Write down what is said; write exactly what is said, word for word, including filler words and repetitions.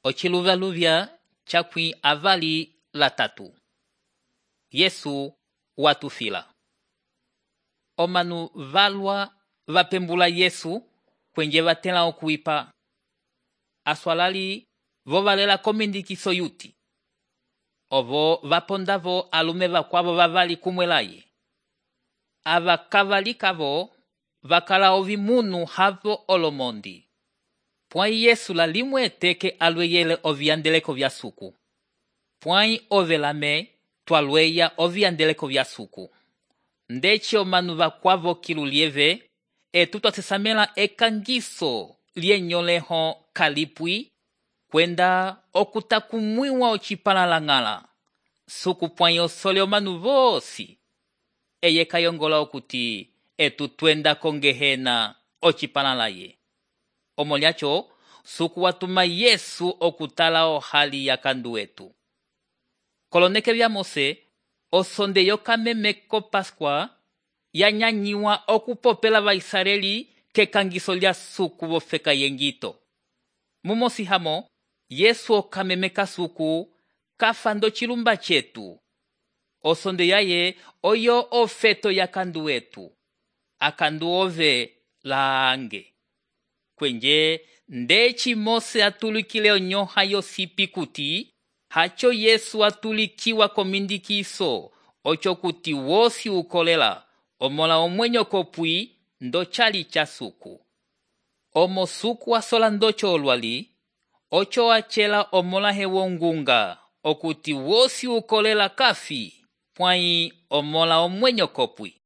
Ociluvyaluvya cakwi avali latatu. Yesu watufila. Omanu valwa vapembula Yesu kwenje vatela okuipa. Aswalali vo valela komindikiso yuti. Ovo vapondavo alume vakwavo vavali kumwelaye. Ava kavalikavo vakala ovimunu havo olomondi. Pwai Yesu la limwe teke alweyele oviandeleko vya suku. Pwai ovelame tualweya oviandeleko vya suku. Ndechi omanu vakwavo kilulieve etu twasesamela ekangiso lienyoleho kalipwi kwenda okutakumwiwa ocipalala suku pwai osole omanu vosi. Eye kayongola okuti etu twenda kongehena ocipalalaye. Omolyacho suku watuma Yesu okutala ohali ya kandu etu. Koloneke vya Mose osonde yokameme ko Pascua yanyanyiwa okupopela vaisraeli kekangiso lya suku vofeka yengito. Mumosi hamo Yesu okameme kasuku kafando chilumba chetu. Osonde yaye oyo ofeto ya kandu etu. Akandu ove laange. Kwenje ndechi Mose atulikile onyoha yosipi kuti hacho Yesu atulikiwa komindikiso ocho kuti wosi ukolela omola omwenyo kopwi ndo chali cha suku. Omo suku asola ndocho olwali ocho achela omola hewo ngunga okuti wosi ukolela kafi pwai omola omwenyo kopwi.